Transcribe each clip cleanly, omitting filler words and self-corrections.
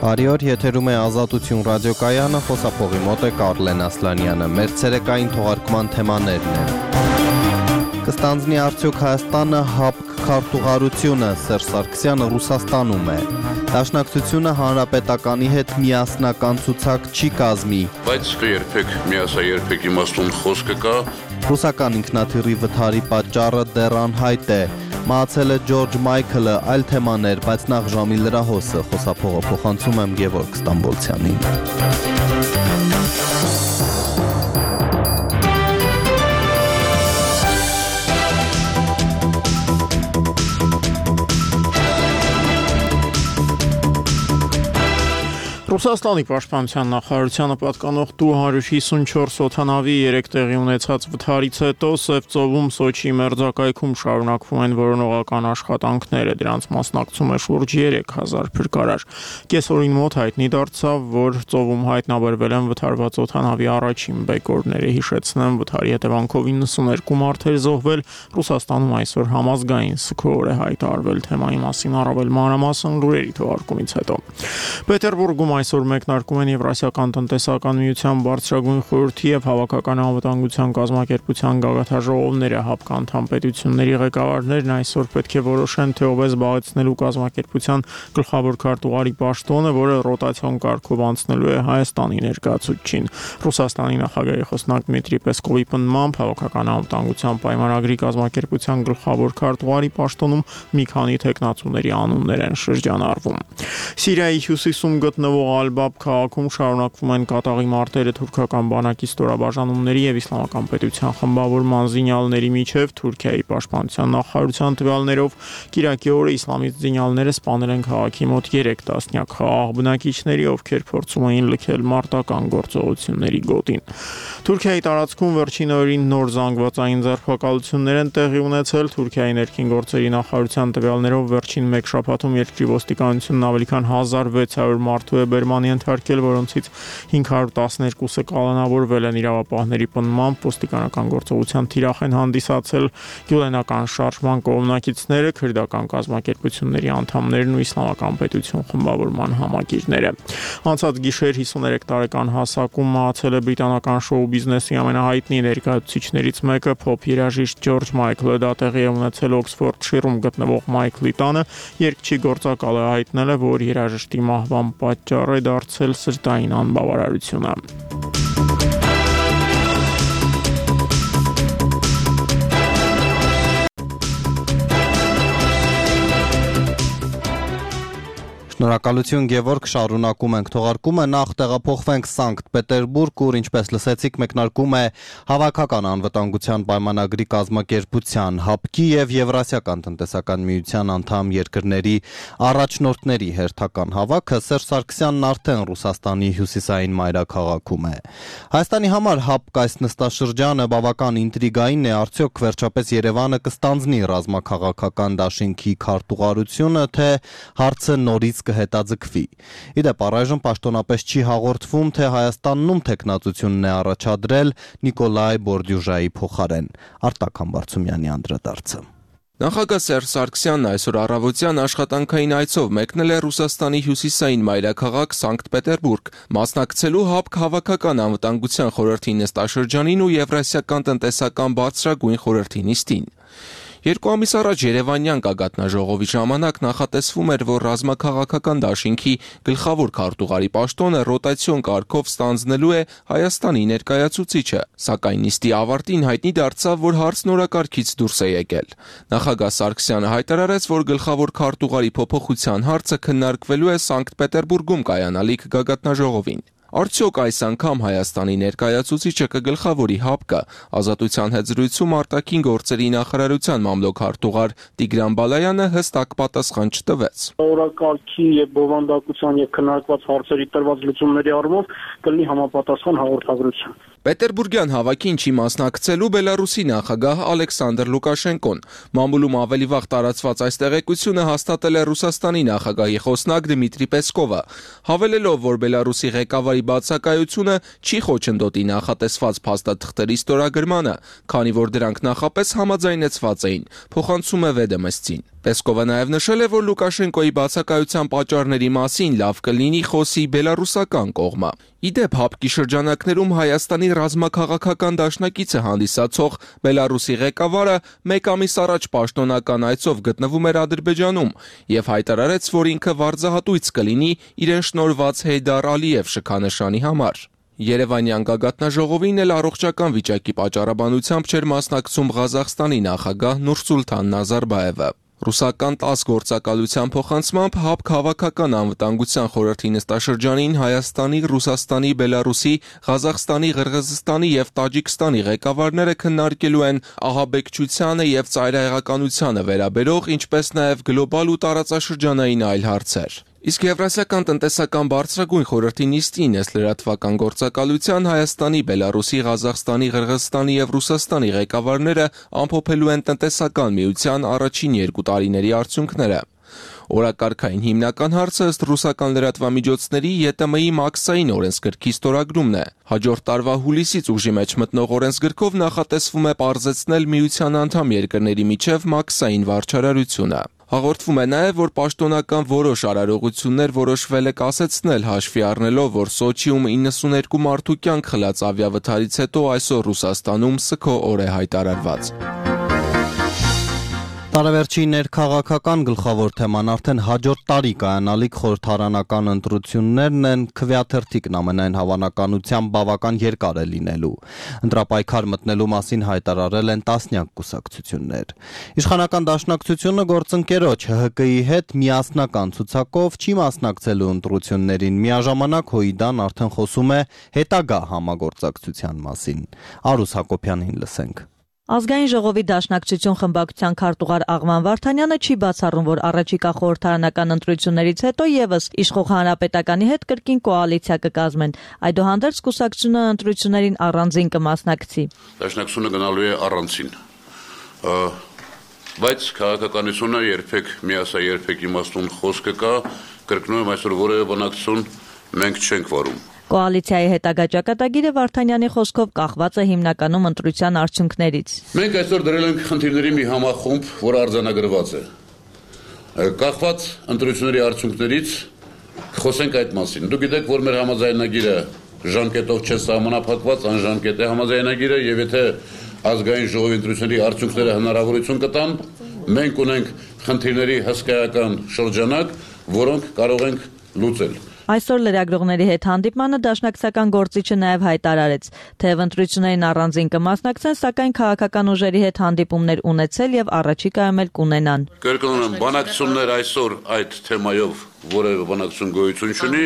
Բարի օր, եթերում է Ազատություն ռադիոկայանը, խոսափողի մոտ է Կարլեն Ասլանյանը, մեր ցերեկային թողարկման թեմաներն են։ Կստանձնի արդյոք Հայաստանը ՀԱՊԿ քարտուղարությունը, Սերժ Սարգսյանը Ռուսաստանում է։ Դաշնակցությունը հանրապետականի հետ միասնական ցուցակ չի կազմի։ Բայց երբեք իմաստուն խոսքը կա։ Ռուսական ինքնաթիռի վթարի պատճառը դեռ անհայտ է։ Մահացել է Ջորջ Մայքլը, այլ թեմաներ, բայց նախ ժամի լրահոսը, խոսափողը փոխանցում եմ Գևորգ Ստամբոլցյանին։ Ռուսաստանի պաշտպանության նախարարությանը պատկանող Tu-154 օդանավի 3 տեղի ունեցած վթարից հետո Սև ծովում Սոչի մերձակայքում շարունակվում են որոնողական աշխատանքները, դրանց մասնակցում է շուրջ 3000 փրկարար։ Կեսօրին մոտ հայտնի դարձավ, որ ծովում հայտնաբերվել են վթարված օդանավի առաջին բեկորները, հիշեցնեմ, վթարի հետևանքով 92 մարդեր զոհվել, Ռուսաստանում այսօր համազգային սգոր է հայտարարվել, թեմայի մասին առավել մանրամասն լուրերի թողարկումից հետո։ Պետերբուրգում այսօր մեկնարկում են Եվրասիական տնտեսական միության բարձրագույն խորհրդի և հավաքական անվտանգության կազմակերպության գագաթաժողովները, ՀԱՊԿ անդամ պետությունների ղեկավարներն այսօր պետք է որոշեն, թե ով է զբաղեցնելու կազմակերպության գլխավոր քարտուղարի պաշտոնը, որը ռոտացիոն կարգով անցնելու է Հայաստանի ներկայացուցչին։ Ռուսաստանի նախագահի խոսնակ Դմիտրի Պեսկովի պնդմամբ հավաքական անվտանգության պայմանագրի կազմակերպության գլխավոր քարտուղարի պաշտոնում մի քանի թեկնածուների անուններ են շրջանառվում։ Սիրիայի հյուսիսում գտնվող Ալ-Բաբ քաղաքում շարունակվում են կատաղի մարտերը թուրքական բանակի ստորաբաժանումների և Իսլամական պետության խմբավորման զինյալների միջև։ Թուրքիայի պաշտպանության նախարարության տվյալներով կիրակի օրը իսլամիստ զինյալները սպանել են քաղաքի մոտ 3 տասնյակ խաղաղ բնակիչների, ովքեր փորձում էին լքել մարտական գործողությունների գոտին։ Թուրքիայի տարածքում վերջին օրերին նոր զանգվածային ձերբակալություններ են տեղի ունեցել։ Թուրքիայի ներքին գործերի նախարարության տվյալներով վերջին մեկ շաբաթում երկրի ոստիկանությունն ավելի քան 1600 մարդու է բերման ենթարկել, որոնցից 512-ը կալանավորվել են։ Իրավապահների պնդմամբ ոստիկանական գործողության թիրախ են հանդիսացել գյուլենական շարժման կողմնակիցները, քրդական կազմակերպությունների անդամներն ու Իսլամական պետություն խմբավորման համակիրները։ Անցած գիշեր 53 տարեկան հասակում մահացել է բրիտանական շոու բիզնեսի ամենահայտնի ներկայացուցիչներից մեկը, փոփ երաժիշտ Ջորջ Մայքլը։ Դա տեղի է ունեցել Օքսֆորդշիրում գտնվող Մայքլի տանը։ Երգչի գործակալը հայտնել է, որ երաժշտի մահվան պատճառ է դարձել սրտային անբավարարությունը։ Շնորհակալություն Գևորգ, շարունակում ենք թողարկումը, նախ տեղափոխվենք Սանկտ Պետերբուրգ, ուր ինչպես լսեցիք մեկնարկում է հավաքական անվտանգության պայմանագրի կազմակերպության ՀԱՊԿ-ի և Եվրասիական տնտեսական միության անդամ երկրների առաջնորդների հերթական հավաքը։ Սերժ Սարգսյանն արդեն Ռուսաստանի հյուսիսային մայրաքաղաքում է։ Հայաստանի համար ՀԱՊԿ այս նստաշրջանը բավական ինտրիգային է, արդյոք վերջապես Երևանը կստանձնի ռազմաքաղաքական դաշինքի քարտուղարությունը, թե հարցը նորից կհետաձգվի։ Իդեպ առայժմ պաշտոնապես չի հաղորդվում, թե Հայաստանում թեկնածությունն է առաջադրել Նիկոլայ Բորդյուժայի փոխարեն։ Արտակ Համբարձումյանի անդրադարձը։ Նախագահ Սերժ Սարգսյանն այսօր առավոտյան աշխատանքային այցով մեկնել է Ռուսաստանի հյուսիսային մայրաքաղաք Սանկտ Պետերբուրգ, մասնակցելու ՀԱՊԿ հավաքական անվտանգության խորհրդի նստաշրջանին ու Եվրասիական տնտեսական բարձրագույն խորհրդի նիստին։ 2 ամիս առաջ Երևանյան գագաթնաժողովի ժամանակ նախատեսվում էր, որ ռազմաքաղաքական դաշինքի գլխավոր քարտուղարի պաշտոնը ռոտացիոն կարգով ստանձնելու է Հայաստանի ներկայացուցիչը, սակայն նիստի ավարտին հայտնի դարձավ, որ հարցն օրակարգից դուրս է եկել։ Նախագահ Սարգսյանը հայտարարեց, որ գլխավոր քարտուղարի փոփոխության հարցը քննարկվելու է Սանկտ Պետերբուրգում կայանալիք գագաթնաժողովին։ Արդյոք այս անգամ Հայաստանի ներկայացուցիչը կգլխավորի ՀԱՊԿ-ը։ Ազատության հետ զրույցում արտաքին գործերի նախարարության մամլոք-քարտուղար Տիգրան Բալայանը հստակ պատասխան չտվեց։ Օրակարգի եւ բովանդակության եւ քննարկված հարցերի տրված լուծումների առումով կլինի համապատասխան հաղորդագրություն։ Պետերբուրգյան հավաքին չի մասնակցելու Բելարուսի նախագահ Ալեքսանդր Լուկաշենկոն։ Մամուլում ավելի վաղ տարածված այս տեղեկությունը հաստատել է Ռուսաստանի նախագահի խոսնակ Դմիտրի Պեսկովը, հավելելով, որ Բելարուսի ղեկավարի բացակայությունը չի խոչընդոտի նախատեսված փաստաթղթերի ստորագրմանը, քանի որ դրանք նախապես համաձայնեցված էին, փոխանցում է VDM-ին։ Պեսկովը նաև նշել է, որ Լուկաշենկոյի բացակայության պատճառների մասին լավ կլինի խոսի բելարուսական կողմը։ Իդեպ հապկի շրջանակներում Հայաստանի ռազմաքաղաքական դաշնակիցը հանդիսացող Բելարուսի ղեկավարը մեկ ամիս առաջ պաշտոնական այցով գտնվում էր Ադրբեջանում եւ հայտարարեց, որ ինքը վարձահատույց կլինի իրեն շնորհված Հեյդար Ալիև շքանշանի համար։ Երևանյան գագաթնաժողովին էլ առողջական վիճակի պատճառաբանությամբ չէր մասնակցում Ղազախստանի նախագահ Նուրսուլթան Նազարբաևը։ Ռուսական 10 գործակալության փոխանցմամբ ՀԱՊԿ Հավաքական անվտանգության խորհրդի նստաշրջանին Հայաստանի, Ռուսաստանի, Բելարուսի, Ղազախստանի, Ղրղզստանի եւ Տաջիկստանի ղեկավարները քննարկելու են ահաբեկչությանը եւ ծայրահեղականությանը վերաբերող, ինչպես նաեւ գլոբալ ու տարածաշրջանային այլ հարցեր։ Իսկ Եվրասիական տնտեսական բարձրագույն խորհրդի նիստին ըստ լրատվական գործակալության Հայաստանի, Բելարուսի, Ղազախստանի, Ղրղզստանի եւ Ռուսաստանի ղեկավարները ամփոփելու են տնտեսական միության առաջին 2 տարիների արդյունքները։ Օրակարգային հիմնական հարցը ըստ ռուսական լրատվամիջոցների ԵՏՄ-ի մաքսային օրենսգրքի ստորագրումն է։ Հաջորդ տարվա հուլիսից ուժի մեջ մտնող օրենսգրքով նախատեսվում է պարզեցնել միության անդամ երկրների միջև մաքսային վարչարարությունը։ Հաղորդվում է նաև, որ պաշտոնական որոշ արարողություններ որոշվել է կասեցնել հաշվի առնելով, որ Սոչիում 92 մարդու կյանք խլած ավիավթարից հետո այսօր Ռուսաստանում սգո օր է հայտարարված։ Տարեվերջի ներքաղաքական գլխավոր թեման արդեն հաջորդ տարի կայանալիք խորհրդարանական ընտրություններն են, քվեաթերթիկն ամենայն հավանականությամբ բավական երկար է լինելու։ Ընտրապայքար մտնելու մասին հայտարարել են տասնյակ կուսակցություններ։ Իշխանական դաշնակցությունը գործընկերոջ ՀՀԿ-ի հետ միասնական ցուցակով չի մասնակցելու ընտրություններին, միաժամանակ ՀՅԴ-ն արդեն խոսում է հետագա համագործակցության մասին։ Արուս Հակոբյանին լսենք։ Ազգային ժողովի դաշնակցություն խմբակցության քարտուղար Աղվան Վարդանյանը չի բացառում, որ առաջիկա խորհրդարանական ընտրություններից հետո եւս իշխող հանրապետականի հետ կրկին կոալիցիա կկազմեն։ Այդուհանդերձ կուսակցությունը ընտրություններին առանձին կմասնակցի։ Դաշնակցությունը գնալու է առանձին։ Բայց քաղաքականությունը երբեք միասա երբեք իմաստուն խոսքը կա, կրկնում եմ այսօր որևէ բանակցություն մենք չենք վարում։ Կոալիցիայի հետագա ճակատագիրը Վարդանյանի խոսքով կախված է հիմնականում ընտրության արդյունքներից։ Մենք այսօր դրել ենք խնդիրների մի համախումբ, որը արձանագրված է։ Կախված ընտրությունների արդյունքներից խոսենք այդ մասին։ Դուք գիտեք, որ մեր համաձայնագիրը ժամկետով չէ սահմանափակված, անժամկետ է համաձայնագիրը, եւ եթե ազգային ժողովի ընտրությունների արդյունքները հնարավորություն կտան, մենք ունենք խնդիրների հսկայական շրջանակ, որոնք կարող ենք լուծել։ Այսօր լրագրողների հետ հանդիպմանը դաշնակցական գործիչը նաև հայտարարեց, թեև ընտրություններին առանձին կմասնակցեն, սակայն քաղաքական ուժերի հետ հանդիպումներ ունեցել եւ առաջիկայում էլ կունենան։ Կրկնում եմ, բանակցություններ այսօր այդ թեմայով որևէ բանակցություն գոյություն չունի,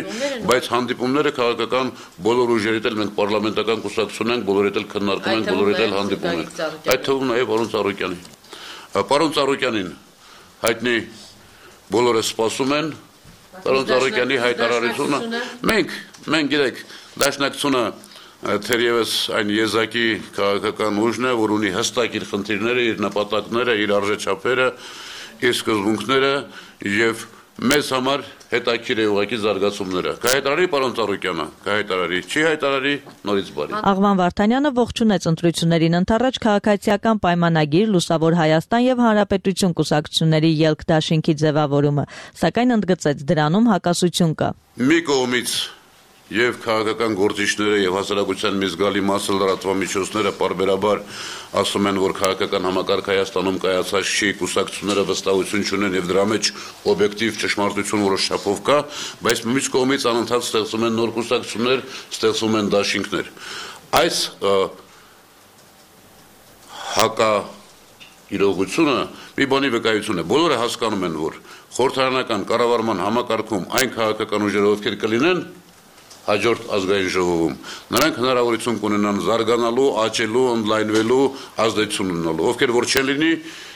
բայց հանդիպումները քաղաքական բոլոր ուժերիդ էլ մենք պարլամենտական կուսակցություն ենք, բոլորիդ էլ քննարկում ենք, բոլորիդ էլ հանդիպում ենք։ Այդ թվում նաև պարոն Ծառուկյանի։ Պարոն Ծառուկյանին հայտնի բոլորը սպասում են Պարոն Ծառուկյանի հայտարարությունը մենք գիտեք դաշնակցությունը թերևս այն եզակի քաղաքական ուժն է, որ ունի հստակ իր խնդիրները, իր նպատակները, իր արժեչափերը, իր սկզբունքները եւ մեզ համար հետաքրքիր է ուղղակի զարգացումները։ Կհայտարարի պարոն Ծառուկյանը, կհայտարարի, չի հայտարարի, նորից բարի։ Աղվան Վարդանյանը ողջունեց ընտրություններին ընթառաջ քաղաքացիական պայմանագիր, Լուսավոր Հայաստան եւ Հանրապետություն կուսակցությունների ելք դաշինքի ձևավորումը, սակայն ընդգծեց դրանում հակասություն կա։ Մի կողմից եւ քաղաքական գործիչները եւ հասարակության մի զգալի մասը լրատվամիջոցները պարբերաբար ասում են, որ քաղաքական համակարգ Հայաստանում կայացած չի, կուսակցությունները վստահություն չունեն եւ դրա մեջ օբյեկտիվ ճշմարտություն որոշ չափով կա, բայց մյուս կողմից անընդհատ ստեղծում են նոր կուսակցություններ, ստեղծում են դաշինքներ։ Այս հակա իրողությունը մի բանի վկայություն է։ Բոլորը հասկանում են, որ խորհրդարանական կառավարման համակարգում այն քաղաքական ուժերը, ովքեր կլինեն հաջորդ ազգային ժողովում, նրանք հնարավորություն կունենան զարգանալու, աճելու, ընդլայնվելու, ազդեցություն ունենալու, ովքեր որ չեն լինի,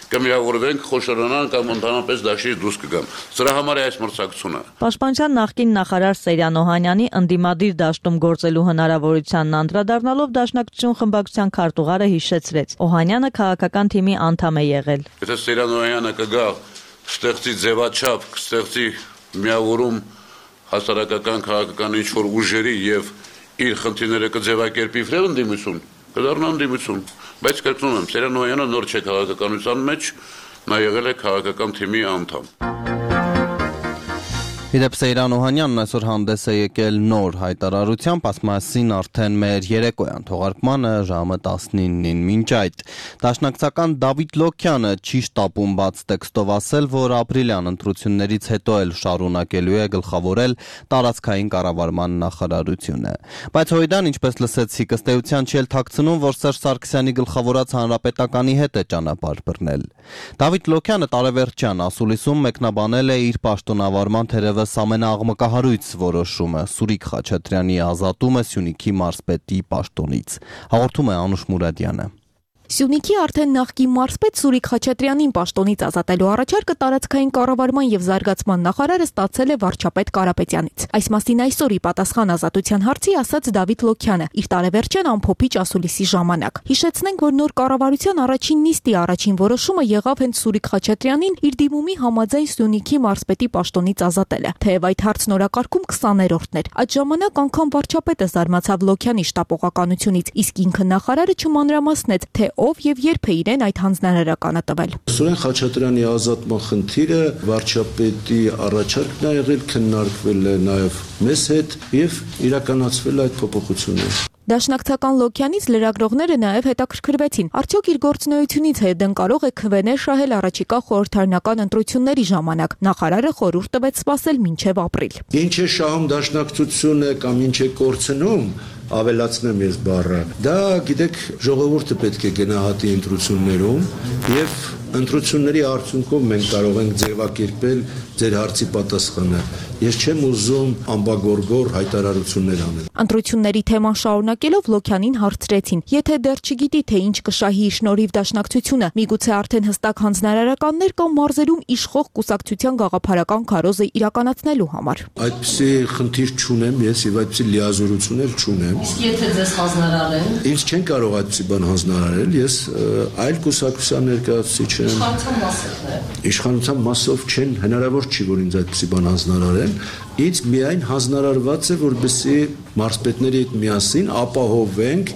կմիավորվենք, խոշորանան կամ ընդհանրապես դաշտից դուրս կգան։ Սրա համար է այս մրցակցությունը։ Պաշտպանության նախկին նախարար Սերյան Օհանյանի ընդդիմադիր դաշտում գործելու հնարավորությանն անդրադառնալով դաշնակցություն խմբակցության քարտուղարը հիշեցրեց։ Օհանյանը քաղաքական թիմի անդամ է եղել։ Եթե Սերյան Օհանյանը կգա, ստեղծի ձևաչափ, կստեղծի միավորում հասարակական քաղաքական ինչ-որ ուժերի եւ իր խնդիրները կձևակերպի վրան ընդդիմություն, կդառնա ընդդիմություն, բայց կրկնում եմ, Սերյան Օհանյանը նոր չէ քաղաքականության մեջ, նա եղել է քաղաքական թիմի անդամ։ Իդեպ Սեյրան Օհանյանն այսօր հանդես է եկել նոր հայտարարությամբ, ասում մասին արդեն մեր երեկոյան թողարկմանը ժամը 19-ին։ Մինչ այդ դաշնակցական Դավիթ Լոքյանը չի շտապում բաց տեքստով ասել, որ ապրիլյան ընտրություններից հետո էլ շարունակելու է գլխավորել տարածքային կառավարման նախարարությունը։ Բայց Հոյդան, ինչպես լսեցիք, ըստ էության չի էլ թաքցնում, որ Սերժ Սարգսյանի գլխավորած հանրապետականի հետ է ճանապարհ բռնել։ Դավիթ Լոքյանը տարեվերջյան ասուլիսում մեկնաբանել է իր պաշտոնավարման թերևս ամենաաղմկահարույց որոշումը՝ Սուրիկ Խաչատրյանի ազատումը Սյունիքի մարզպետի պաշտոնից։ Հաղորդում է Անուշ Մուրադյանը։ Սյունիքի արդեն նախկին մարզպետ Սուրիկ Խաչատրյանին պաշտոնից ազատելու առաջարկը տարածքային կառավարման եւ զարգացման նախարարը ստացել է վարչապետ Կարապետյանից։ Այս մասին այսօր ի պատասխան ազատության հարցի ասաց Դավիթ Լոքյանը իր տարեվերջյան ամփոփիչ ասուլիսի ժամանակ։ Հիշեցնենք, որ նոր կառավարության առաջին նիստի առաջին որոշումը եղավ հենց Սուրիկ Խաչատրյանին իր դիմումի համաձայն Սյունիքի մարզպետի պաշտոնից ազատելը։ Թեև այդ հարցն օրակարգում 20-րդն էր։ Այդ ժամանակ անգամ վարչապետը զարմացավ Լոքյանի շտապողականությունից, իսկ ինքը նախարարը չմանրամասնեց, թե ով եւ երբ է իրեն այդ հանձնարարականը տվել։ Սուրեն Խաչատրյանի ազատման խնդիրը վարչապետի առաջարկն է եղել, քննարկվել է նաեւ մեզ հետ եւ իրականացվել այդ փոփոխությունները։ Դաշնակցական Լոքյանից լրագրողները նաև հետաքրքրվեցին, արդյոք իր գործունեությունից հետն կարող է քվեներ շահել առաջիկա խորհրդարանական ընտրությունների ժամանակ։ Նախարարը խորհուրդ տվեց սպասել մինչև ապրիլ։ Ինչ է շահում դաշնակցությունը կամ ինչ է կորցնում, ավելացնեմ ես բառը։ Դա, գիտեք, ժողովուրդը պետք է գնահատի ընտրություններում եւ ընտրությունների արդյունքով մենք կարող ենք ձևակերպել ձեր հարցի պատասխանը։ Ես չեմ ուզում ամբագորգոր հայտարարություններ անել։ Ընտրությունների թեման շարունակելով Լոքյանին հարցրեցին. եթե դեռ չգիտի, թե ինչ կշահի իր շնորհիվ դաշնակցությունը, միգուցե արդեն հստակ հանձնարարականներ կամ մարզերում իշխող կուսակցության գաղափարական քարոզը իրականացնելու համար։ Այդպիսի խնդիր չունեմ ես եւ այդպիսի լիազորություն էլ չունեմ։ Իսկ եթե ձեզ հանձնարարեն, ինձ չեն կարող այդպիսի բան հանձնարարել, ես այլ կուսակցության ներկայացուցիչ եմ։ իշխանության մասով է։ Իշխանության մասով չեն, հնարավոր չի, որ ինձ այդպիսի բան հանձնարարեն։ Ինձ միայն հանձնարարված է, որպեսզի մարզպետների հետ միասին ապահովենք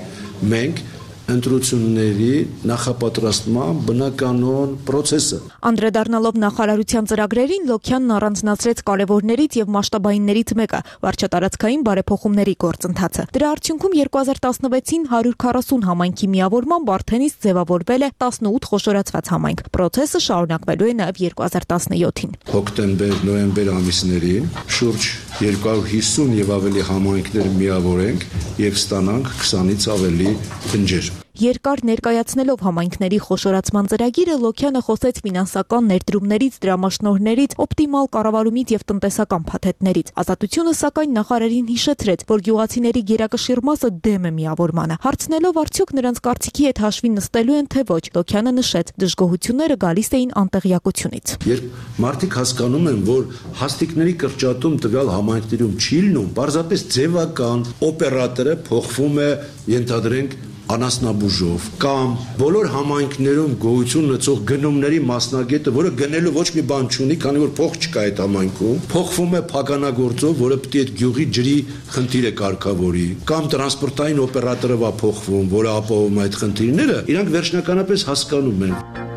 մենք ընտրությունների նախապատրաստման բնականոն process-ը։ Անդրադառնալով նախարարության ծրագրերին, Լոքյանն առանձնացրեց կարևորներից եւ մասշտաբայիններից մեկը՝ վարչատարածքային բարեփոխումների գործընթացը։ Դրա արդյունքում 2016-ին 140 համայնքի միավորմամբ արդենից ձևավորվել է 18 խոշորացված համայնք։ Պրոցեսը շարունակվելու է նաեւ 2017-ին։ Հոկտեմբեր-նոյեմբեր ամիսներին շուրջ 250 եւ ավելի համայնքներ միավորենք եւ ստանանք 20-ից ավելի բնջեր։ Երկար ներկայացնելով համայնքների խոշորացման ծրագիրը, Լոքյանը խոսեց ֆինանսական ներդրումներից, դրամաշնորհներից, օպտիմալ կառավարումից եւ տնտեսական փաթեթներից։ Ազատությունը սակայն նախարարին հիշեցրեց, որ գյուղացիների գերակշիռ մասը դեմ է միավորմանը։ Հարցնելով արդյոք նրանց կարծիքի հետ հաշվի նստելու են թե ոչ, Լոքյանը նշեց, դժգոհությունները գալիս էին անտեղյակությունից։ Երբ մարդիկ հասկանում են, որ հաստիկների կրճատում տվյալ համայնքներում չի լինում, պարզապես ձևական օպերատորը փոխվում է, ենթադրենք անասնաբուժով կամ բոլոր համայնքներում գոյություն ունեցող գնումների մասնագետը, որը գնելու ոչ մի բան չունի, քանի որ փող չկա այդ համայնքում, փոխվում է փականագործով, որը պետք է այդ գյուղի ջրի խնդիրը կարգավորի, կամ տրանսպորտային օպերատորը վա փոխվում, որը ապահովում այդ խնդիրները, իրանք վերջնականապես հասկանում են։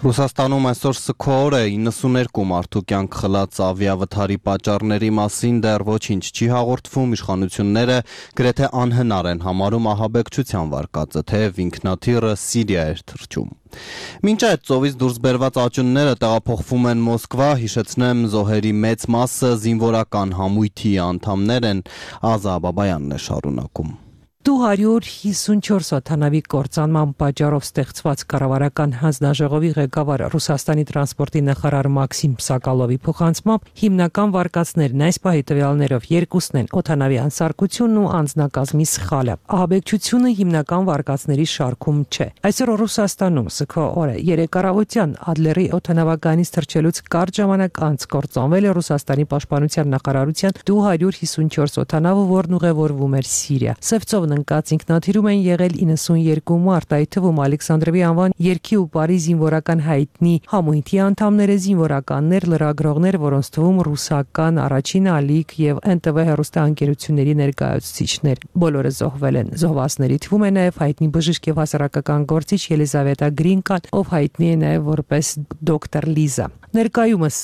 Ռուսաստանում այսօր սգոր է 92 մարդու կյանք խլած ավիավթարի պատճառների մասին դեռ ոչինչ չի հաղորդվում, իշխանությունները գրեթե անհնար են համարում ահաբեկչության վարկածը, թեև ինքնաթիռը Սիրիա էր թռչում։ Մինչ այդ ծովից դուրս բերված աճունները տեղափոխվում են Մոսկվա, հիշեցնեմ, զոհերի մեծ մասը զինվորական համույթի անդամներ են, Ազա Բաբայանն է շարունակում։ 254 օդանավի կործանման պատճառով ստեղծված կառավարական հանձնաժողովի ղեկավար Ռուսաստանի տրանսպորտի նախարար Մաքսիմ Սակալովի փոխանցմամբ հիմնական վարկածներն այս պահի տվյալներով երկուսն են օդանավի անսարքությունն ու անձնակազմի սխալը։ Ահաբեկչությունը հիմնական վարկածների շարքում չէ։ Այսօր Ռուսաստանում սգո օր է։ Երեկ առավոտյան Ադլերի օդանավականից թռչելուց կարճ ժամանակ անց կործանվել է Ռուսաստանի պաշտպանության նախարարության 254 օդանավը, որն ուղևորվում էր Սիրիա։ Սևծովն ընկած ինքնաթիռում են եղել 92 մարդ, այդ թվում Ալեքսանդրովի անվան երգի ու բարի զինվորական հայտնի համույթի անդամները, զինվորականներ, լրագրողներ, որոնց թվում ռուսական առաջին ալիք եւ ՆՏՎ հեռուստաընկերությունների ներկայացուցիչներ։ Բոլորը զոհվել են։ Զոհվածների թվում է նաեւ հայտնի բժիշկ եւ հասարակական գործիչ Ելիզավետա Գրինկան, ով հայտնի է նաեւ որպես դոկտոր Լիզա։ Ներկայումս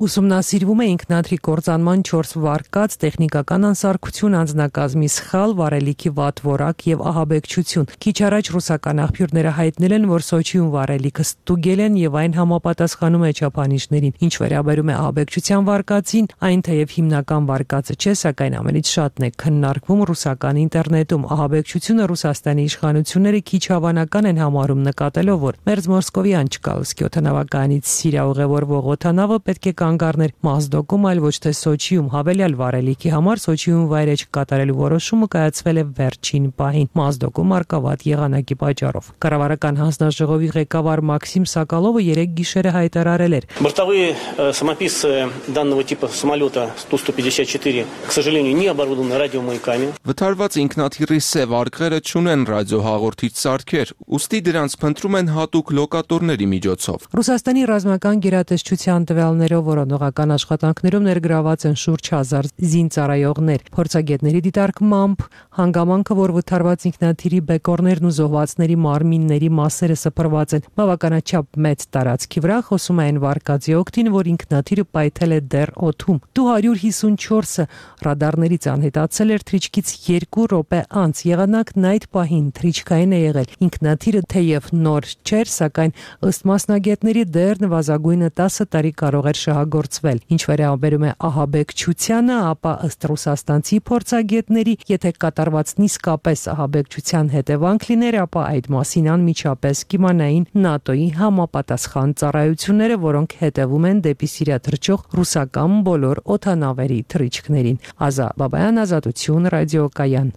ուսումնասիրվում է ինքնաթիռի կործանման 4 վարկած, տեխնիկական անսարքություն, անձնակազմի սխալ, վառելիքի վատ որակ եւ ահաբեկչություն։ Քիչ առաջ ռուսական աղբյուրները հայտնել են, որ Սոչիում վառելիքը ստուգել են եւ այն համապատասխանում է չափանիշներին։ Ինչ վերաբերում է ահաբեկչության վարկածին, այն թեև հիմնական վարկածը չէ, սակայն ամենից շատն է քննարկվում ռուսական ինտերնետում։ Ահաբեկչությունը Ռուսաստանի իշխանությունները քիչ հավանական են համարում, նկատելով, որ Մերձմոսկովյան Չկալսկի օդանավականից Սիրիա ուղևորվող օդանավը պետք է կանգառներ Մազդոկում, այլ ոչ թե Սոչիում։ Հավելյալ վառելիքի համար Սոչիում վայրէջք կատարելու որոշումը կայացվել է վերջին пահին Մազդոկում արկավատ եղանակի պատճառով։ Կառավարական հանձնաժողովի ղեկավար Մաքսիմ Սակալովը 3 գիշերը հայտարարել էր. Бортовые самописцы данного типа самолета Ту-154, к сожалению, не оборудованы радиомаяками. Վթարված ինքնաթիռի սև արկղերը չունեն ռադիոհաղորդիչ սարքեր, ուստի դրանց փնտրում են հատուկ լոկատորների միջոցով։ Ռուսաստանի ռազմական գերատեսչության տվյալներով որոնողական աշխատանքներում ներգրաված են շուրջ 1000 զինծառայողներ։ Փորձագետների դիտարկմամբ հանգամանքը, որ վթարված ինքնաթիռի բեկորներն ու զոհվածների մարմինների մասերը սփռված են բավականաչափ մեծ տարածքի վրա, խոսում են վարկածի օգտին, որ ինքնաթիռը պայթել է դեռ օդում։ Դու-154-ը ռադարներից անհետացել էր թռիչքից 2 րոպե անց։ Եղանակն այդ պահին թռիչքային է եղել։ Ինքնաթիռը թեև նոր չէր, սակայն ըստ մասնագետների դեռ նվազագույնը 10 տարի կարող էր շահագործվել։ Ինչ վերաբերում է ահաբեկչությանը, ապա ըստ ռուսաստանցի փորձագետների, եթե կատարվածն իսկապես ահաբեկչության հետևանք լիներ, ապա այդ մասին անմիջապես կիմանային ՆԱՏՕ-ի համապատասխան ծառայությունները, որոնք հետևում են դեպի Սիրիա թռչող ռուսական բոլոր օդանավերի թռիչքներին։ Ազա Բաբայան, Ազատություն, ռադիոկայան։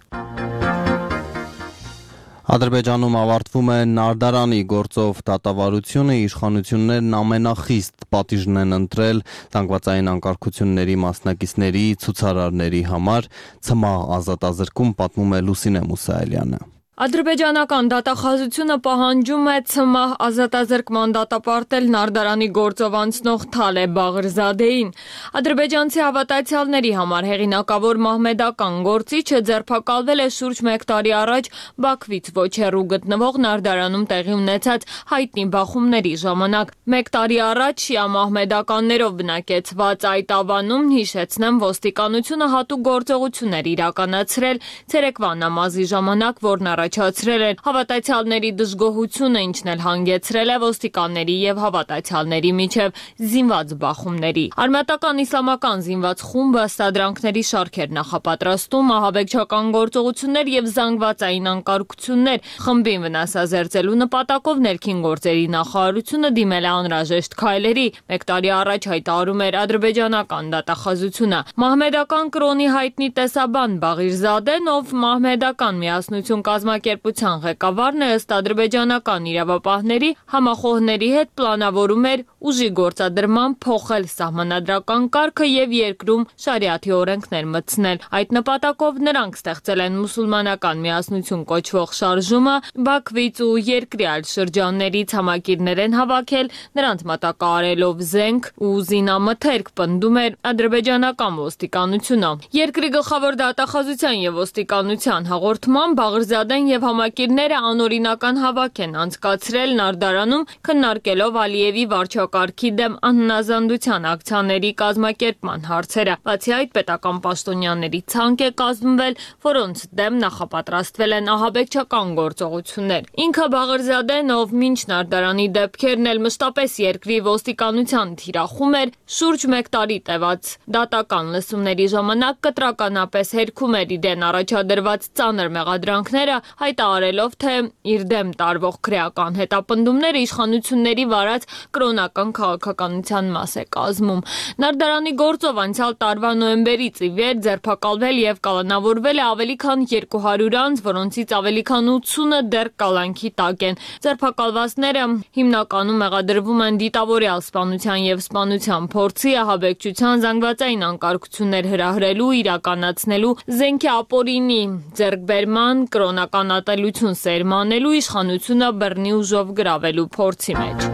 Ադրբեջանում ավարտվում է Նարդարանի գործով դատավարությունը, իշխանություններն ամենախիստ պատիժն են ընտրել զանգվածային անկարգությունների մասնակիցների ցուցարարների համար, ցմահ ազատազրկում, պատմում է Լուսինե Մուսայելյանը։ Ադրբեջանական դատախազությունը պահանջում է ցմահ ազատազրկման դատապարտել Նարդարանի գործով անցնող Թալե Բաղրզադեին։ Ադրբեջանցի հավատացյալների համար հեղինակավոր մահմեդական գործիչը ձերբակալվել է շուրջ 1 տարի առաջ Բաքվից ոչ հեռու գտնվող Նարդարանում տեղի ունեցած հայտնի բախումների ժամանակ։ 1 տարի առաջ շիա մահմեդականներով բնակեցված այդ ավանում, հիշեցնեմ, ոստիկանությունը հատուկ գործողություններ իրականացրել ցերեկվա նամազի ժամանակ, որն առաջացրել են հավատացյալների դժգոհությունը, ինչն էլ հանգեցրել է ոստիկանների եւ հավատացյալների միջև զինված բախումների։ Արմատական իսլամական զինված խումբը ստադրանքների շարքեր նախապատրաստում, ահաբեկչական գործողություններ եւ զանգվածային անկարգություններ խմբին վնասազերծելու նպատակով ներքին գործերի նախարարությունը դիմել է անհրաժեշտ քայլերի։ 1 տարի առաջ հայտարարում էր ադրբեջանական դատախազությունը։ Մահմեդական կրոնի հայտնի տեսաբան Բաղիրզադեն, ով մահմեդական միասնություն կազմակերպության ղեկավարն է, ըստ ադրբեջանական իրավապահների, համախոհների հետ պլանավորում էր ուժի գործադրման փոխել սահմանադրական կարգը եւ երկրում շարիաթի օրենքներ մտցնել։ Այդ նպատակով նրանք ստեղծել են մուսուլմանական միասնություն կոչվող շարժումը, Բաքվից ու երկրի այլ շրջաններից համակիրներ են հավաքել, նրանց մատակարարելով զենք ու զինամթերք, պնդում էր ադրբեջանական ոստիկանությունը։ Երկրի գլխավոր դատախազության եւ ոստիկանության հաղորդման Բաղրզադեն եւ համակիրները անօրինական հավաք են անցկացրել Նարդարանում, քննարկելով Ալիևի վարչակարգի դեմ անհնազանդության ակցիաների կազմակերպման հարցերը։ Բացի այդ, պետական պաշտոնյաների ցանկ է կազմվել, որոնց դեմ նախապատրաստվել են ահաբեկչական գործողություններ։ Ինքը Բաղրզադեն, ով մինչ Նարդարանի դեպքերն էլ մշտապես երկրի ոստիկանության թիրախում էր, շուրջ 1 տարի տևած դատական լսումների ժամանակ կտրականապես հերքում էր իրեն առաջադրված ծանր մեղադրանքները, հայտարարելով, թե իր դեմ տարվող քրեական հետապնդումները իշխանությունների վարած կրոնական քաղաքականության մաս է կազմում։ Նարդարանի գործով անցյալ տարվա նոյեմբերից ի վեր ձերբակալվել եւ կալանավորվել է ավելի քան 200 անձ, որոնցից ավելի քան 80-ը դեռ կալանքի տակ են։ Ձերբակալվածները հիմնականում մեղադրվում են դիտավորյալ սպանության եւ սպանության փորձի, ահաբեկչության, զանգվածային անկարգություններ հրահրելու, իրականացնելու, զենքի ապօրինի ձեռքբերման, կրոնական ատելություն սերմանելու, իշխանությունը բռնի ուժով գրավելու փորձի մեջ։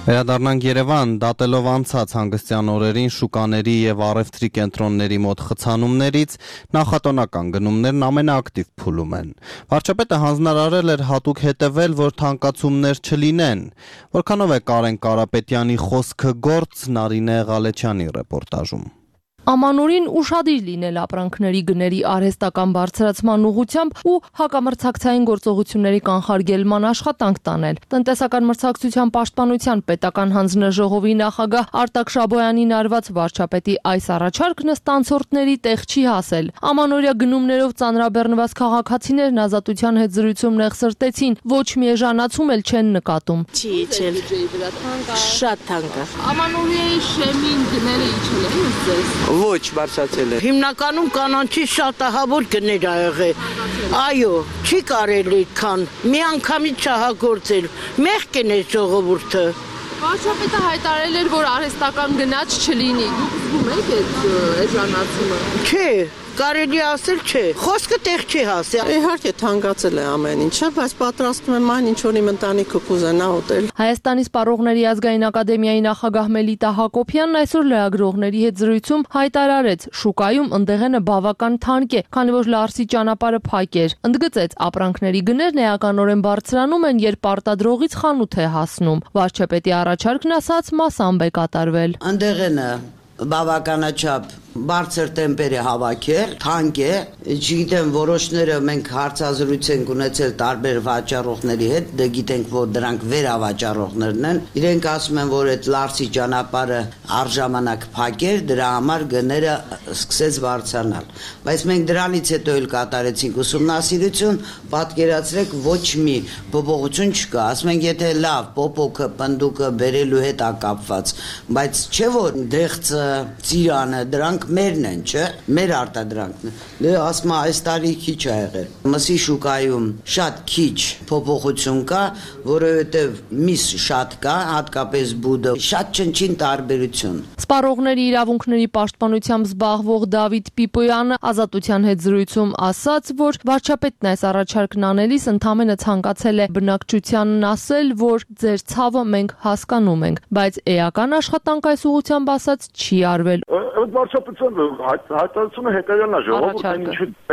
Վերադառնանք Երևան, դատելով անցած հանգստյան օրերին շուկաների եւ առևտրի կենտրոնների մոտ խցանումներից, նախատոնական գնումներն ամենաակտիվ փուլում են։ Վարչապետը հանձնարարել էր հատուկ հետևել, որ թանկացումներ չլինեն։ Որքանով է Կարեն Կարապետյանի խոսքը գործ, Նարինե Ղալեչյանի ռեպորտաժում։ Ամանորին ուշադիր լինել ապրանքների գների արհեստական բարձրացման ուղղությամբ ու հակամրցակցային գործողությունների կանխարգելման աշխատանք տանել։ Տնտեսական մրցակցության պաշտպանության պետական հանձնաժողովի նախագահ Արտակ Շաբոյանին արված վարչապետի այս առաջարկն ստանցորդների տեղ չի հասել։ Ամանորյա գնումներով ծանրաբեռնված քաղաքացիներն Ազատության հետ զրույցում նեղսրտեցին, ոչ մի էժանացում էլ չեն նկատում։ Շատ թանկ է։ Ամանորյայի շեմին գները իջել են ձեզ։ Ոչ, բարձրացել է։ Հիմնականում կանանչի շատահավոր գներ ա եղել։ Այո, չի կարելի քան մի անգամից չհագործել։ Մեղք են այս ժողովուրդը։ Վարչապետը հայտարարել էր, որ արհեստական գնաց չլինի։ Դուք զգում եք այդ էժանացումը։ Չէ, կարելի ասել չէ։ Խոսքը տեղ չի հասել։ Իհարկե թանկացել է ամեն ինչը, բայց պատրաստում եմ այն, ինչ որ իմ ընտանիքը կուզենա ուտել։ Հայաստանի Սպառողների ազգային ակադեմիայի նախագահ Մելիտա Հակոբյանն այսօր լրագրողների հետ զրույցում հայտարարեց, շուկայում ընդեղենը բավական թանկ է, քանի որ Լարսի ճանապարհը փակ էր։ Ընդգծեց, ապրանքների գներն էականորեն բարձրանում են, երբ արտադրողից խանութ է հասնում։ Վարչապետի առաջարկն ասած մասամբ է կատարվել։ Ընդեղենը բավականաչափ բարձր տեմպեր է հավաքել, թանկ է, չգիտեմ, որոշները մենք հարցազրույց ենք ունեցել տարբեր վաճառողների հետ, դե գիտենք, որ դրանք վերավաճառողներն են, իրենք ասում են, որ այդ Լարսի ճանապարհը առժամանակ փակ էր, դրա համար գները սկսեց բարձրանալ, բայց մենք դրանից հետո էլ կատարեցինք ուսումնասիրություն, պատկերացրեք, ոչ մի փոփոխություն չկա, ասում ենք, եթե լավ, պոպոկը, պնդուկը բերելու հետ է կապված, բայց չէ որ դեղցը, ծիրանը, դրանք մերն են, չէ, մեր արտադրանքն է։ Դե ասում այս տարի քիչ ա եղել։ Մսի շուկայում շատ քիչ փոփոխություն կա, որովհետև միս շատ կա, հատկապես բուդը, շատ չնչին տարբերություն։ Սպառողների իրավունքների պաշտպանությամբ զբաղվող Դավիթ Պիպոյանը Ազատության հետ զրույցում ասաց, որ վարչապետն այս առաջարկն անելիս ընդամենը ցանկացել է բնակչությանն ասել, որ ձեր ցավը մենք հասկանում ենք, բայց էական աշխատանք այս ուղղությամբ ասած չի արվել։ Վարչապետության հայտարարությունը հետևյալն է, ժողովուրդը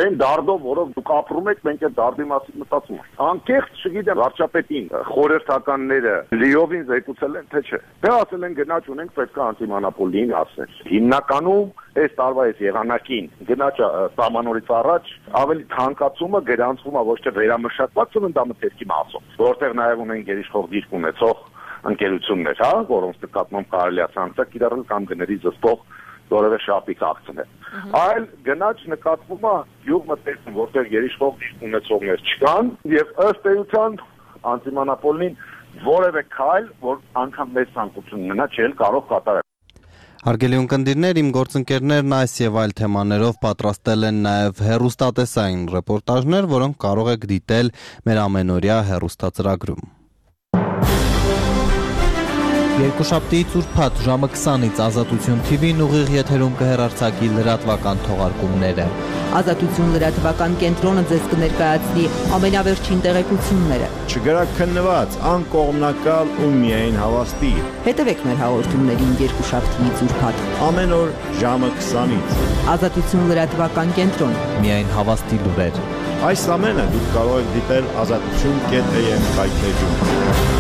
այն դարդով, որով դուք ապրում եք, մենք այդ դարդի մասին մտածում ենք։ Անկեղծ, չգիտեմ, վարչապետին խորհրդականները լիովին զեկուցել են, թե չէ։ Դե ասել են գնաճ ունենք, պետք է անտիմոնոպոլին ասել։ Հիմնականում այս տարվա այս եղանակին գնաճը սահմանորից առաջ ավելի թանկացումը գրանցվում է ոչ թե վերամշակված ծննդամթերքի մասով, որտեղ նաև ունեն գերիշխող դիրք ունեցող ընկերություններ, հա, որոնց նկատմամբ կարելի է սանկցիա կիրառել կամ գների զսպող որևէ շապիկ ակցներ։ Այլ գնաճ նկատվում է յուղմթերքում, որտեղ գերիշխող դիրք ունեցողներ չկան, եւ ըստ էության անտիմոնոպոլին որևէ քայլ, որ անգամ մեծ ցանկություն ունենա, չէ կարող կատարել։ Հարգելի ունկնդիրներ, իմ գործընկերներն այս եւ այլ թեմաներով պատրաստել են նաեւ հեռուստատեսային ռեպորտաժներ, որոնք կարող եք դիտել մեր ամենօրյա հեռուստածրագրում։ Երկուշաբթիից ուրբաթ ժամը 20-ից Ազատություն TV-ն ուղիղ եթերում կհեռարձակի լրատվական թողարկումները։ Ազատություն լրատվական կենտրոնը ձեզ կներկայացնի ամենավերջին տեղեկությունները։ Չգրակ քննված, անկողմնակալ ու միայն հավաստի։ Հետևեք մեր հաղորդումներին երկուշաբթիից ուրբաթ ամեն օր ժամը 20-ից։ Ազատություն լրատվական կենտրոն։ Միայն հավաստի լուրեր։ Այս ամենը դուք կարող եք դիտել azatutun.am կայքեջում։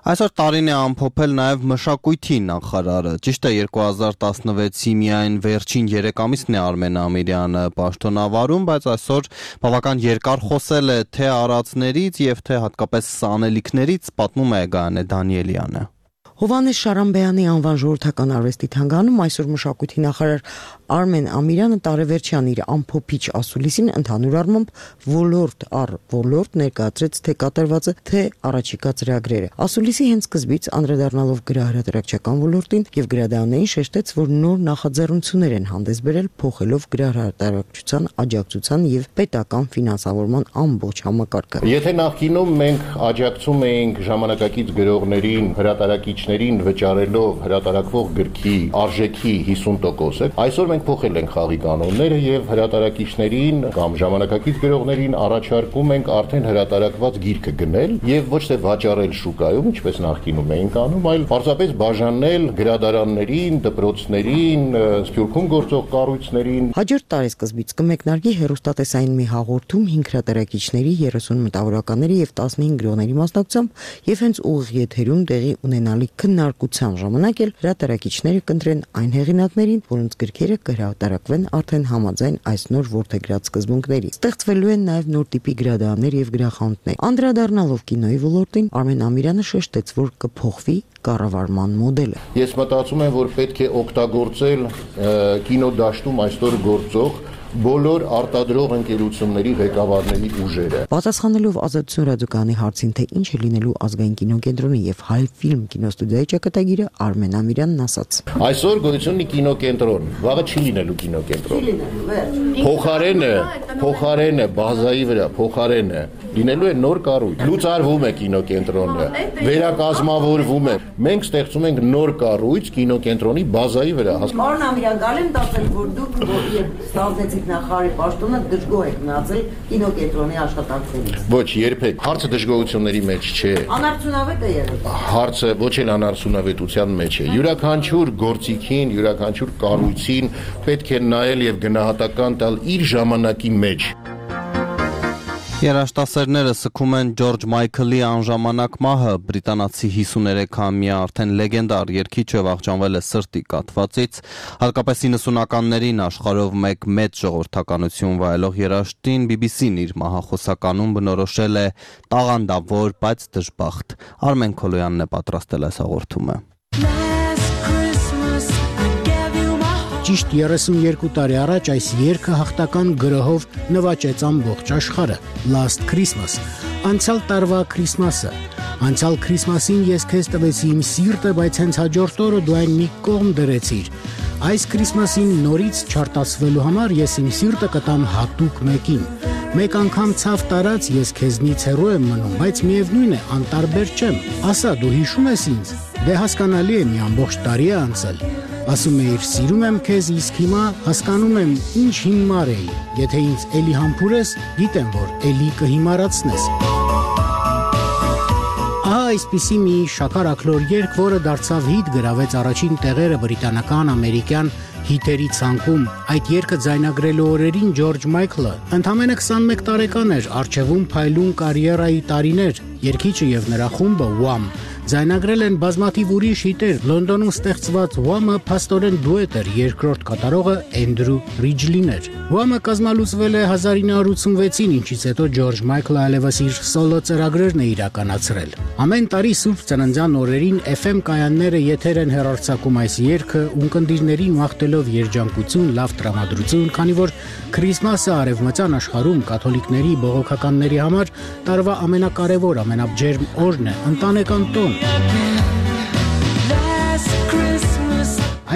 Այսօր տարին է ամփոփել նաև մշակույթի նախարարը։ Ճիշտ է 2016-ի միայն վերջին 3 ամիսն է Արմեն Ամիրյանը պաշտոնավարում, բայց այսօր բավական երկար խոսել է թե արածներից եւ թե հատկապես սանելիքներից, պատմում է Գայանե Դանիելյանը։ Հովհաննես Շարամբեյանի անվան ժողովրդական արվեստի թանգարանում այսօր մշակույթի նախարար Արմեն Ամիրյանը տարեվերջյան իր ամփոփիչ ասուլիսին ընդհանուր առմամբ ոլորտ առ ոլորտ ներկայացրեց թե կատարվածը, թե առաջիկա ծրագրերը։ Ասուլիսի հենց սկզբից անդրադառնալով գրահրատարակչական ոլորտին եւ գրադարաններին շեշտեց, որ նոր նախաձեռնություններ են հանդես բերել, փոխելով գրահրատարակչության աջակցության եւ պետական ֆինանսավորման ամբողջ համակարգը։ Եթե նախկինում մենք աջակցում էինք ժամանակակից գրողներին, հրատարակիչներին վճարելով հրատարակվող գրքի արժեքի 50%, այսօր մենք փոխել ենք խաղի կանոնները եւ հրատարակիչներին կամ ժամանակակից գրողներին առաջարկում ենք արդեն հրատարակված գիրքը գնել եւ ոչ թե վաճառել շուկայում, ինչպես նախկինում էինք անում, այլ պարզապես բաժանել գրադարաններին, դպրոցներին, Սփյուռքում գործող կառույցներին։ Հաջորդ տարեսկզբից կմեկնարկի հեռուստատեսային մի հաղորդում 5 հրատարակիչների, 30 մտավորականների եւ 15 գրողների մասնակցությամբ եւ հենց ուղիղ եթերում տեղի ունենալի քննարկության ժամանակ էլ հրատարակիչները կընտրեն այն հեղինակներին, որոնց գրքերը կհրատարակվեն արդեն համաձայն այս նոր որդեգրած սկզբունքների։ Ստեղծվելու են նաեւ նոր տիպի գրադարաններ եւ գրախանութներ։ Անդրադառնալով կինոյի ոլորտին Արմեն Ամիրյանը շեշտեց, որ կփոխվի կառավարման մոդելը։ Ես մտածում եմ, որ պետք է օգտագործել կինոդաշտում այսօր գործող բոլոր արտադրող ընկերությունների ղեկավարների ուժերը։ Պատասխանելով Ազատություն ռադիոկայանի հարցին, թե ինչ է լինելու ազգային կինոկենտրոնի եւ Հայ ֆիլմ կինոստուդիայի ճակատագիրը, Արմեն Ամիրյանն ասաց. Այսօր գոյություն ունի կինոկենտրոն, վաղը չի լինելու կինոկենտրոն։ Փոխարենը բազայի վրա, փոխարենը լինելու է նոր կառույց։ Լուծարվում է կինոկենտրոնը, վերակազմավորվում է։ Մենք ստեղծում ենք նոր կառույց կինոկենտրոնի բազայի վրա։ Պարոն Ամիրյան, գալեմ տասել, որ դուք ստանձնեցիք նախարարի պաշտոնը, դժգոհ եք մնացել կինոկենտրոնի աշխատանքներից։ Ոչ, երբեք։ Հարցը դժգոհությունների մեջ չէ։ Անարդյունավետ է եղել։ Հարցը ոչ էլ անարդյունավետության մեջ է։ Յուրաքանչյուր գործիքին, յուրաքանչյուր կառույցին պետք է նայել եւ գնահատական տալ իր ժամանակի մեջ։ Երաժշտասերները սգում են Ջորջ Մայքլի անժամանակ մահը, բրիտանացի 53-ամյա արդեն լեգենդար երգիչը վախճանվել է սրտի կաթվածից, հատկապես 90-ականներին աշխարհով մեկ մեծ ժողովրդականություն վայելող երաժշտին BBC-ն իր մահախոսականում բնորոշել է տաղանդավոր, բայց դժբախտ։ Արմեն Քոլոյանն է պատրաստել այս հաղորդումը։ Ճիշտ 32 տարի առաջ այս երգը հաղթական գրոհով նվաճեց ամբողջ աշխարհը։ Last Christmas, անցյալ տարվա Քրիսմասը։ Անցյալ Քրիսմասին ես քեզ տվեցի իմ սիրտը, բայց հենց հաջորդ օրը դու այն մի կողմ դրեցիր։ Այս Քրիսմասին նորից չարտասվելու համար ես իմ սիրտը կտամ հատուկ մեկին։ Մեկ անգամ ցավ տարած ես քեզնից հեռու եմ մնում, բայց միևնույն է, անտարբեր չեմ։ Ասա, դու հիշում ես ինձ։ Դե հասկանալի է, մի ամբողջ տարի է անցել։ Ասում էիր, սիրում եմ քեզ, իսկ հիմա հասկանում եմ, ինչ հիմար էի։ Եթե ինձ էլի համբուրես, գիտեմ, որ էլի կհիմարացնես։ Ահա այսպիսի մի շաքար աքլոր երգ, որը դարձավ հիթ, գրավեց առաջին տեղերը բրիտանական, ամերիկյան հիթերի ցանկում։ Այդ երգը ձայնագրելու օրերին Ջորջ Մայքլը ընդամենը 21 տարեկան էր, առջևում փայլուն կարիերայի տարիներ, երգիչը եւ նրա խումբը Wham ձայնագրել են բազմաթիվ ուրիշ հիտեր։ Լոնդոնում ստեղծված Wham-ը փաստորեն դուետ էր, երկրորդ կատարողը Էնդրու Ռիջլին էր։ Wham-ը կազմալուծվել է 1986-ին, ինչից հետո Ջորջ Մայքլը այլևս իր սոլո ծրագրերն է իրականացրել։ Ամեն տարի Սուրբ Ծննդյան օրերին FM կայանները եթեր են հեռարձակում այս երգը, ունկնդիրներին մաղթելով երջանկություն, լավ տրամադրություն, քանի որ Քրիսմասը արևմտյան աշխարհում կաթոլիկների, բողոքականների համար տարվա ամենակարևոր, ամենաբջերմ օրն է, ընտանեկան տոն։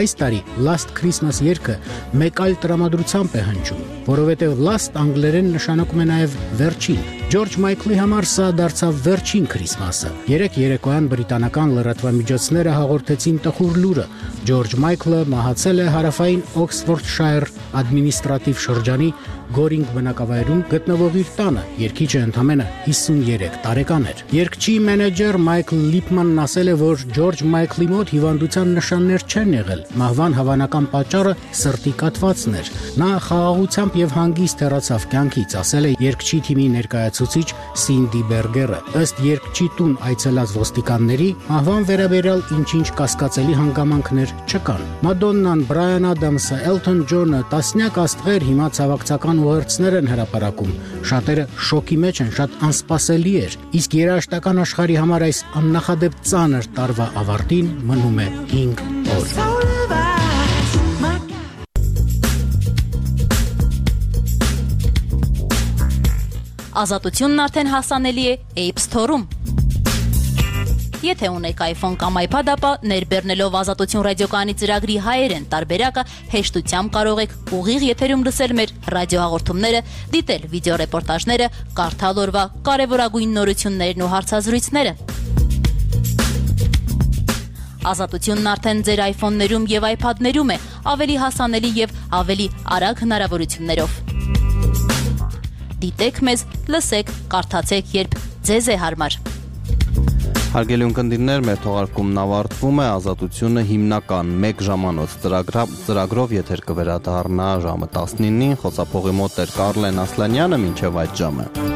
Այս տարի Last Christmas երգը մեկ այլ տրամադրությամբ է հնչում, որովհետև Last անգլերեն նշանակում է նաև վերջին։ Ջորջ Մայքլի համար սա դարձավ վերջին Քրիսմասը։ Երեք երեկոյան բրիտանական լրատվամիջոցները հաղորդեցին տխուր լուրը։ Ջորջ Մայքլը մահացել է հարավային Օքսֆորդշայր ադմինիստրատիվ շրջանի Գորինգ բնակավայրում գտնվող իր տանը։ Երգիչը ընդամենը 53 տարեկան էր։ Երգչի մենեջեր Մայքլ Լիփմանն ասել է, որ Ջորջ Մայքլի մոտ հիվանդության նշաններ չեն եղել։ Մահվան հավանական պատճառը սրտի կաթվածն էր։ Նա խաղաղությամբ եւ հանգիստ հեռացավ կյանքից, ասել է երգչի թիմի ներկայացուցիչ ներկայացուցիչ Սինդի Բերգերը։ Ըստ երկչի տուն այցելած ոստիկանների, մահվան վերաբերյալ ինչ-ինչ կասկածելի հանգամանքներ չկան։ Մադոննան, Բրայան Ադամսը, Էլթոն Ջոնը, տասնյակ աստղեր հիմա ցավակցական ուղերձներ են հրապարակում։ Շատերը շոկի մեջ են, շատ անսպասելի էր։ Իսկ երաժշտական աշխարհի համար այս աննախադեպ ծանր տարվա ավարտին մնում է 5 օր։ Ազատությունն արդեն հասանելի է App Store-ում։ Եթե ունեք iPhone կամ iPad, ապա ներբեռնելով Ազատություն ռադիոկայանի ծրագրի հայերեն տարբերակը հեշտությամբ կարող եք ուղիղ եթերում լսել մեր ռադիոհաղորդումները, դիտել վիդեոռեպորտաժները, կարդալ օրվա կարևորագույն նորություններն ու հարցազրույցները։ Ազատությունն արդեն ձեր iPhone-ներում եւ iPad-ներում է, ավելի հասանելի եւ ավելի արագ հնարավորություններով։ Դիտեք մեզ, լսեք, կարդացեք, երբ ձեզ է հարմար։ Հարգելի ունկնդիրներ, մեր թողարկումն ավարտվում է, Ազատությունը հիմնական 1 ժամանոց ծրագրով եթեր կվերադառնա ժամը 19-ին, խոսափողի մոտ էր Կարլեն Ասլանյանը, մինչև այդ ժամը։